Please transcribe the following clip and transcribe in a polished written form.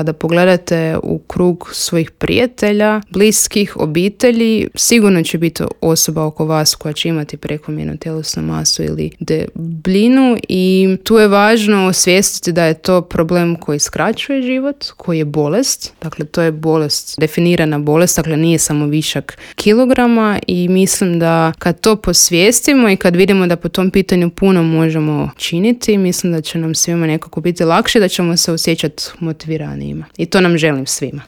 kada pogledate u krug svojih prijatelja, bliskih, obitelji, sigurno će biti osoba oko vas koja će imati prekomjernu tjelesnu masu ili debljinu i tu je važno osvijestiti da je to problem koji skraćuje život, koji je bolest. Dakle, to je bolest, definirana bolest, dakle nije samo višak kilograma i mislim da kad to posvijestimo i kad vidimo da po tom pitanju puno možemo činiti, mislim da će nam svima nekako biti lakše, da ćemo se osjećati motiviranijima. I to nam želim svima.